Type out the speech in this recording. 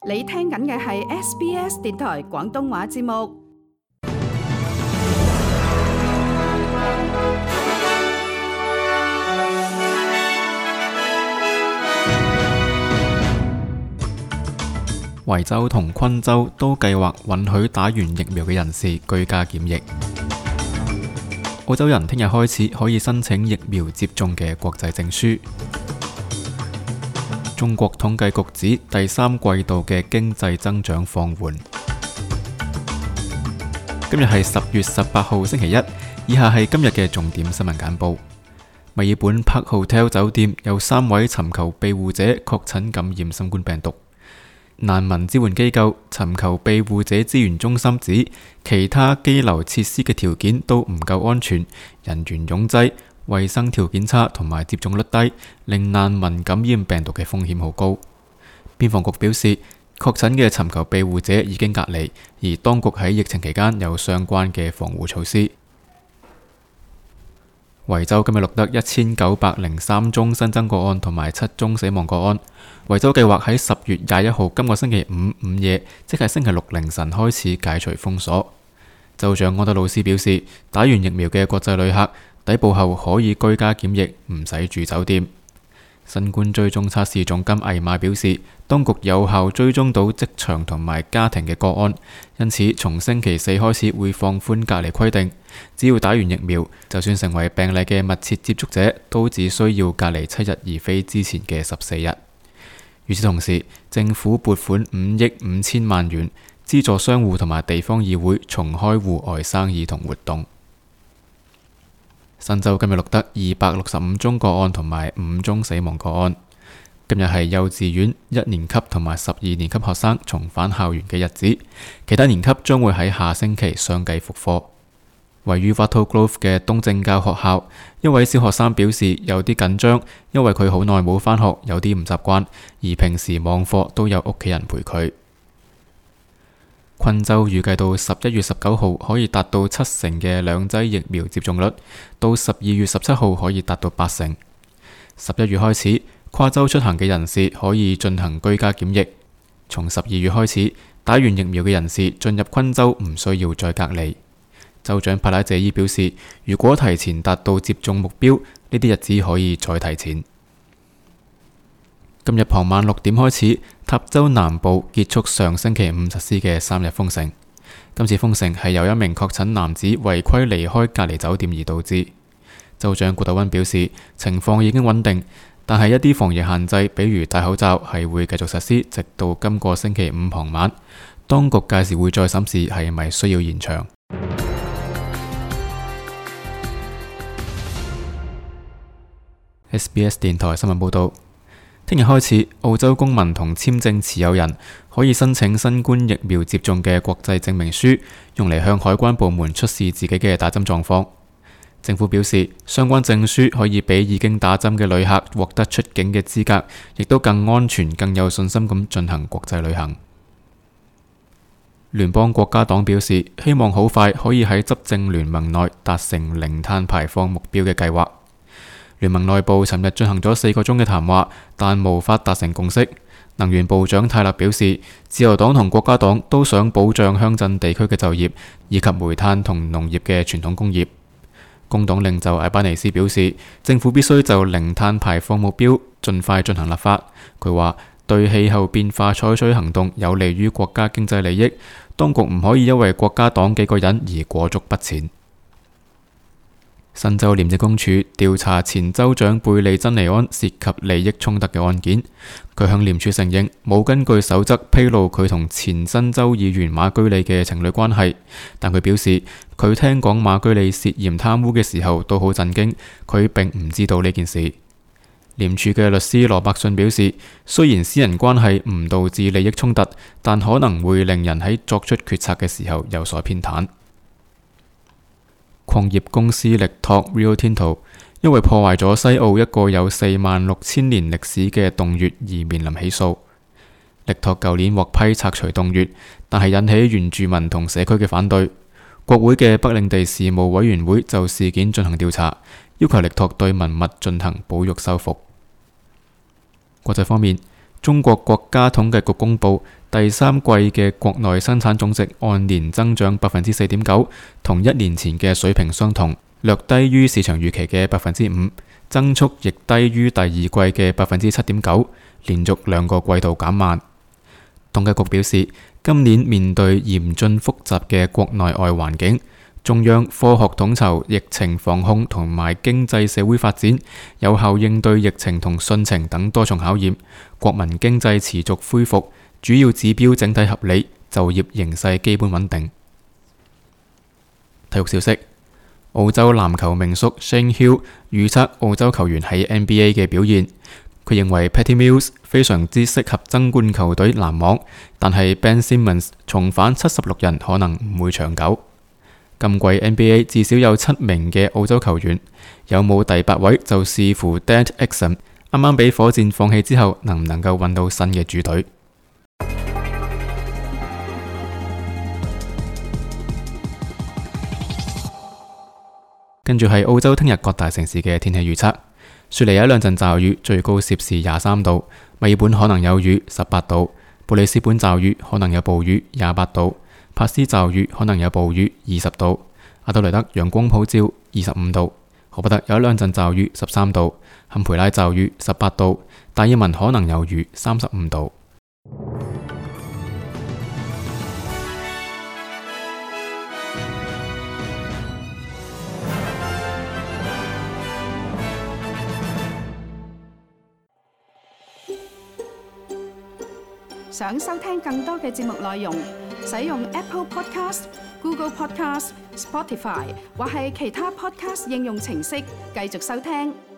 你聽緊嘅係 SBS 電台廣東話節目。維州同昆州都計劃允許打完疫苗嘅人士居家檢疫。澳洲人聽日開始可以申請疫苗接種嘅國際證書。中國統計局指第三季度嘅經濟增長放緩。今日係10月18號星期一，以下係今日嘅重點新聞簡報。墨爾本 Park Hotel 酒店有3位尋求庇護者確診感染新冠病毒。難民支援機構尋求庇護者資源中心指，其他羈留設施嘅條件都唔夠安全，人員擁擠，衛生條件差同埋接種率低，令難民感染病毒嘅風險好高。邊防局表示，確診嘅尋求庇護者已經隔離，而當局喺疫情期間有相關嘅防護措施。維州今日錄得1903宗新增個案同埋7宗死亡個案。維州計劃喺10月21號今個星期五午夜，即係星期六凌晨開始解除封鎖。州長安德魯斯表示，打完疫苗嘅國際旅客抵埗後可以居家檢疫，唔使住酒店。新冠追蹤測試總監艾瑪表示，當局有效追蹤到職場同埋家庭嘅個案，因此從星期4開始會放寬隔離規定。只要打完疫苗，就算成為病例嘅密切接觸者，都只需要隔離7日，而非之前嘅14日。與此同時，政府撥款5億5千萬元，資助商戶同埋地方議會重開戶外生意同活動。新州今日錄得265宗個案同埋5宗死亡個案。今日係幼稚園1年級同埋12年級學生重返校園嘅日子，其他年級將會喺下星期相繼復課。位於 Wattle Grove 嘅東正教學校，一位小學生表示有啲緊張，因為佢好耐冇返學，有啲唔習慣，而平時網課都有屋企人陪佢。昆州預計到11月19號可以達到7成嘅2劑疫苗接種率，到12月17號可以達到8成。11月開始，跨州出行嘅人士可以進行居家檢疫。從12月開始，打完疫苗嘅人士進入昆州唔需要再隔離。州長帕拉謝伊表示，如果提前達到接種目標，呢啲日子可以再提前。今日傍晚6點開始，塔州南部結束上星期5實施嘅3日封城。今次封城係由一名確診男子違規離開隔離酒店而導致。州長古特溫表示，情況已經穩定，但係一啲防疫限制，比如戴口罩，係會繼續實施，直到今個星期5傍晚。當局屆時會再審視係咪需要延長。SBS 電台新聞報道，聽日開始，澳洲公民同簽證持有人可以申請新冠疫苗接種嘅國際證明書，用嚟向海關部門出示自己嘅打針狀況。政府表示，相關證書可以俾已經打針嘅旅客獲得出境嘅資格，亦都更安全、更有信心咁進行國際旅行。聯邦國家黨表示，希望好快可以喺執政聯盟內達成零碳排放目標嘅計劃。聯盟內部尋日進行咗4個鐘嘅談話，但無法達成共識。能源部長泰勒表示，自由黨同國家黨都想保障鄉鎮地區嘅就業，以及煤炭同農業嘅傳統工業。工黨領袖艾巴尼斯表示，政府必須就零碳排放目標盡快進行立法。佢話，對氣候變化採取行動有利於國家經濟利益，當局唔可以因為國家黨幾個人而裹足不前。新州廉政公署調查前州長貝利珍尼安涉及利益衝突嘅案件，佢向廉署承認冇根據守則披露佢同前新州議員馬居利嘅情侶關係，但佢表示佢聽講馬居利涉嫌貪污嘅時候都好震驚，佢並唔知道呢件事。廉署嘅律師羅伯遜表示，雖然私人關係唔導致利益衝突，但可能會令人喺作出決策嘅時候有所偏袒。礦業公司力拓 Rio Tinto 因為破壞咗西澳一個有46,000年歷史嘅洞穴而面臨起訴。力拓舊年獲批拆除洞穴，但係引起原住民同社區嘅反對。國會嘅北領地事務委員會就事件進行調查，要求力拓對文物進行保育修復。國際方面，中國國家統計局公佈，第三季嘅國內生產總值按年增長4.9%，同一年前嘅水平相同，略低於市場預期嘅5%，增速亦低於第二季嘅7.9%，連續2個季度減慢。統計局表示，今年面對嚴峻複雜嘅國內外環境，中央科學統籌疫情防控同埋經濟社會發展，有效應對疫情同汛情等多重考驗，國民經濟持續恢復，主要指標整體合理，就業形勢基本穩定。體育消息：澳洲籃球名宿 Shane Heal 預測澳洲球員喺 NBA 嘅表現。佢認為 Patty Mills 非常之適合爭冠球隊籃網，但係 Ben Simmons 重返76人可能唔會長久。今季 NBA 至少有7名嘅澳洲球員，有冇第8位就視乎 Dante Exum 啱啱俾火箭放棄之後，能唔能夠揾到新嘅主隊。跟住係澳洲聽日各大城市嘅天氣預測。雪梨有2陣驟雨，最高攝氏23度；墨爾本可能有雨，18度；布里斯本驟雨可能有暴雨，28度；帕斯驟雨可能有暴雨，20度；阿德萊德陽光普照，25度；荷伯特有2陣驟雨，13度；坎培拉驟雨18度；達爾文可能有雨，35度。想收聽更多嘅節目內容，使用 Apple Podcast、Google Podcast、Spotify 或係其他 Podcast 應用程式繼續收聽。